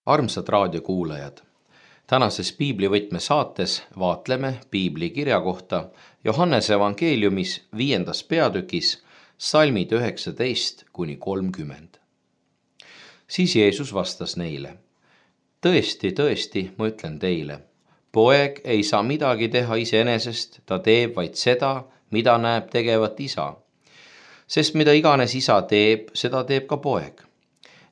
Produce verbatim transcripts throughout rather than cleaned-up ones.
Armsad raadiokuulajad, tänases piiblivõtme saates vaatleme piibli kirja kohta Johannese evangeeliumis viiendas peatükis salmid üheksateist kuni kolmkümmend. Siis Jeesus vastas neile: tõesti, tõesti, ma ütlen teile, poeg ei saa midagi teha iseenesest, ta teeb vaid seda, mida näeb tegevat isa. Sest mida iganes isa teeb, seda teeb ka poeg.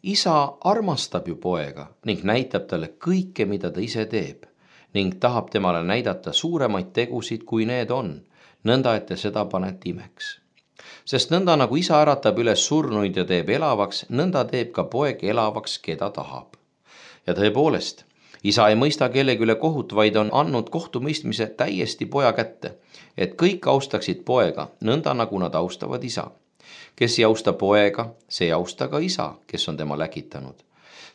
Isa armastab ju poega ning näitab talle kõike, mida ta ise teeb, ning tahab temale näidata suuremaid tegusid, kui need on, nõnda et te seda panete imeks. Sest nõnda nagu isa äratab üles surnuid ja teeb elavaks, nõnda teeb ka poeg elavaks, keda tahab. Ja tõepoolest, isa ei mõista kellegi üle kohut, vaid on andnud kohtumõistmise täiesti poja kätte, et kõik austaksid poega, nõnda nagu nad austavad isa. Kes ei austa poega, see ei austa ka isa, kes on tema läkitanud.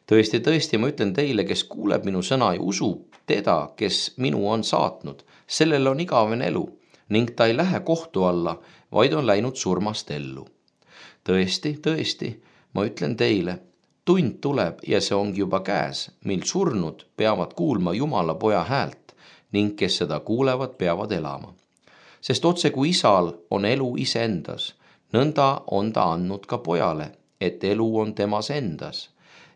Tõesti, tõesti, ma ütlen teile, kes kuuleb minu sõna ja usub teda, kes minu on saatnud, sellel on igavene elu ning ta ei lähe kohtu alla, vaid on läinud surmast ellu. Tõesti, tõesti, ma ütlen teile, tund tuleb ja see ongi juba käes, mil surnud peavad kuulma Jumala poja häält ning kes seda kuulevad, peavad elama. Sest otse kui isal on elu iseendas, nõnda on ta andnud ka pojale, et elu on temas endas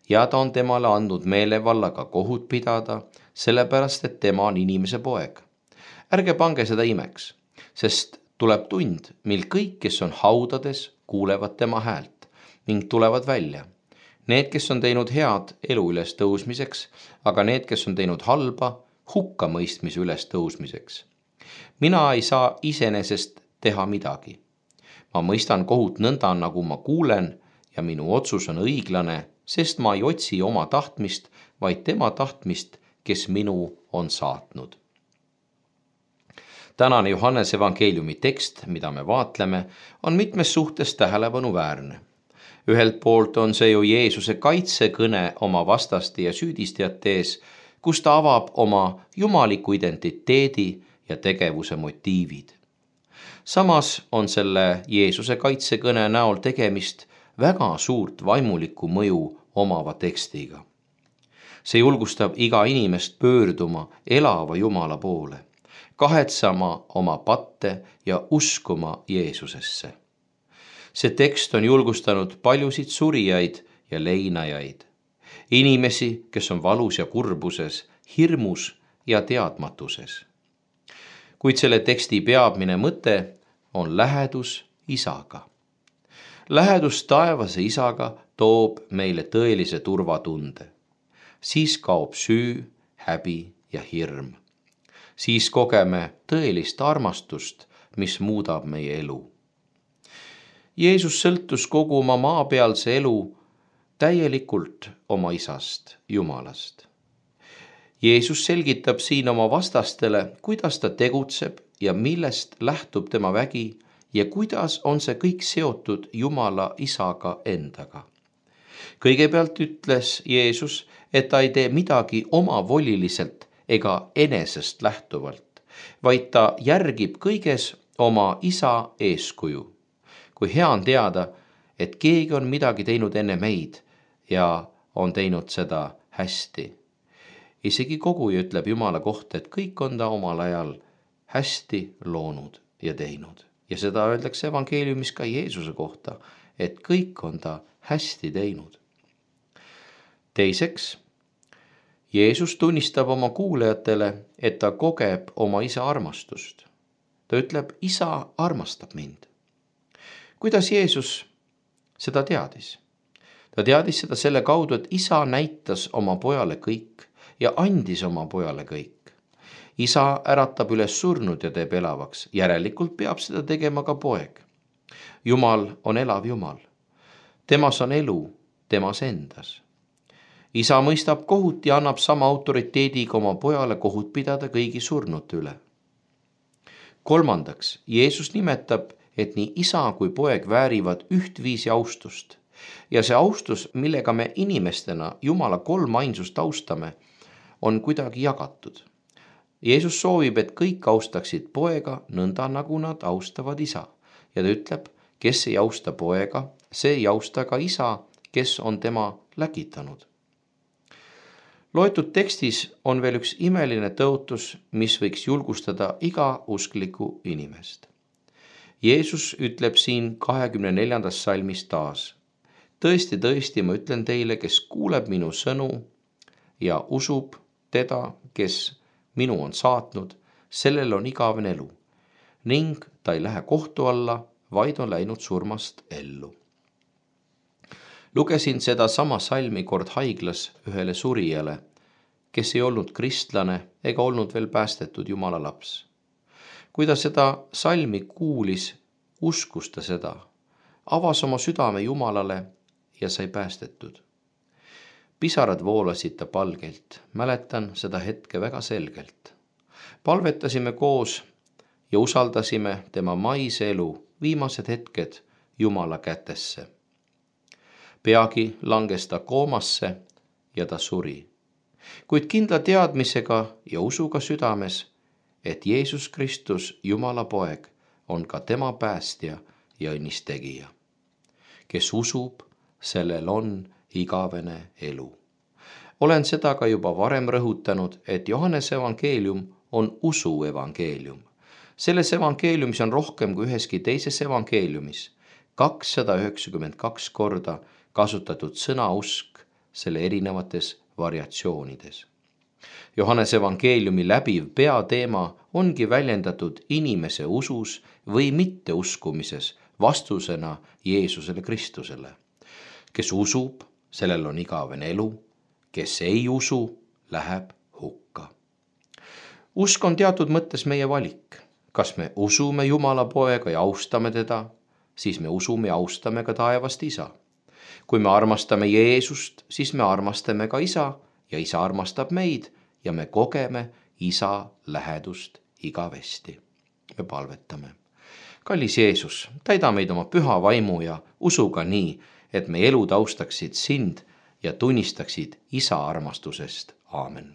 ja ta on temale andnud meelevallaga kohut pidada, sellepärast et tema on inimese poeg. Ärge pange seda imeks, sest tuleb tund, mil kõik, kes on haudades, kuulevad tema häält ning tulevad välja. Need, kes on teinud head elu üles tõusmiseks, aga need, kes on teinud halba, hukkamõistmise üles tõusmiseks. Mina ei saa iseenesest teha midagi. Ma mõistan kohut nõnda, nagu ma kuulen ja minu otsus on õiglane, sest ma ei otsi oma tahtmist, vaid tema tahtmist, kes minu on saatnud. Tänane Johannese evangeeliumi tekst, mida me vaatleme, on mitmes suhtes tähelepanuväärne. Ühelt poolt on see ju Jeesuse kaitsekõne oma vastaste ja süüdistajate ees, kus ta avab oma jumaliku identiteedi ja tegevuse motiivid. Samas on selle Jeesuse kaitsekõne näol tegemist väga suurt vaimulikku mõju omava tekstiga. See julgustab iga inimest pöörduma elava Jumala poole, kahetsama oma patte ja uskuma Jeesusesse. See tekst on julgustanud paljusid surijaid ja leinajaid, inimesi, kes on valus ja kurbuses, hirmus ja teadmatuses. Kuid selle teksti peamine mõte on lähedus isaga. Lähedus taevase isaga toob meile tõelise turvatunde. Siis kaob süü, häbi ja hirm. Siis kogeme tõelist armastust, mis muudab meie elu. Jeesus sõltus kogu oma maapealse elu täielikult oma isast, Jumalast. Jeesus selgitab siin oma vastastele, kuidas ta tegutseb ja millest lähtub tema vägi ja kuidas on see kõik seotud Jumala isaga endaga. Kõigepealt ütles Jeesus, et ta ei tee midagi omavoliliselt ega enesest lähtuvalt, vaid ta järgib kõiges oma isa eeskuju. Kui hea on teada, et keegi on midagi teinud enne meid ja on teinud seda hästi. Isegi koguja ütleb Jumala kohta, et kõik on ta omal ajal hästi loonud ja teinud. Ja seda öeldakse evangeeliumis ka Jeesuse kohta, et kõik on ta hästi teinud. Teiseks, Jeesus tunnistab oma kuulajatele, et ta kogeb oma isa armastust. Ta ütleb, isa armastab mind. Kuidas Jeesus seda teadis? Ta teadis seda selle kaudu, et isa näitas oma pojale kõik ja andis oma pojale kõik. Isa äratab üles surnud ja teeb elavaks, järelikult peab seda tegema ka poeg. Jumal on elav Jumal. Temas on elu, temas endas. Isa mõistab kohut ja annab sama autoriteediga oma pojale kohut pidada kõigi surnute üle. Kolmandaks, Jeesus nimetab, et nii isa kui poeg väärivad ühtviisi austust. Ja see austus, millega me inimestena Jumala kolmainsust austame, on kuidagi jagatud. Jeesus soovib, et kõik austaksid poega nõnda, nagu nad austavad isa. Ja ta ütleb, kes ei austa poega, see ei austa ka isa, kes on tema läkitanud. loetud tekstis on veel üks imeline tõotus, mis võiks julgustada iga usklikku inimest. Jeesus ütleb siin kahekümne neljandas salmis taas: tõesti, tõesti, ma ütlen teile, kes kuuleb minu sõnu ja usub teda, kes minu on saatnud, sellel on igavene elu ning ta ei lähe kohtu alla, vaid on läinud surmast ellu. Lugesin seda sama salmi kord haiglas ühele surijale, kes ei olnud kristlane ega olnud veel päästetud Jumala laps. Kui ta seda salmi kuulis, uskus ta seda, avas oma südame Jumalale ja sai päästetud. Pisarad voolasid ta palgelt, mäletan seda hetke väga selgelt. Palvetasime koos ja usaldasime tema maise elu viimased hetked Jumala kätesse. Peagi langes ta koomasse ja ta suri, kuid kindla teadmisega ja usuga südames, et Jeesus Kristus, Jumala poeg, on ka tema päästja ja õnnistegija. Kes usub, sellel on igavene elu. Olen seda ka juba varem rõhutanud, et Johannese evangeelium on usu evangeelium. Selles evangeeliumis on rohkem kui üheski teises evangeeliumis kakssada üheksakümmend kaks korda kasutatud sõna usk selle erinevates variatsioonides. Johannese evangeeliumi läbiv peateema ongi väljendatud inimese usus või mitteuskumises vastusena Jeesusele Kristusele. Kes usub, sellel on igavene elu, kes ei usu, läheb hukka. Usk on teatud mõttes meie valik. Kas me usume Jumala poega ja austame teda, siis me usume ja austame ka taevast isa. Kui me armastame Jeesust, siis me armastame ka isa ja isa armastab meid ja me kogeme isa lähedust igavesti. Me palvetame. Kallis Jeesus, täida meid oma püha vaimu ja usuga nii, et meie elud austaksid sind ja tunnistaksid isa armastusest. Aamen.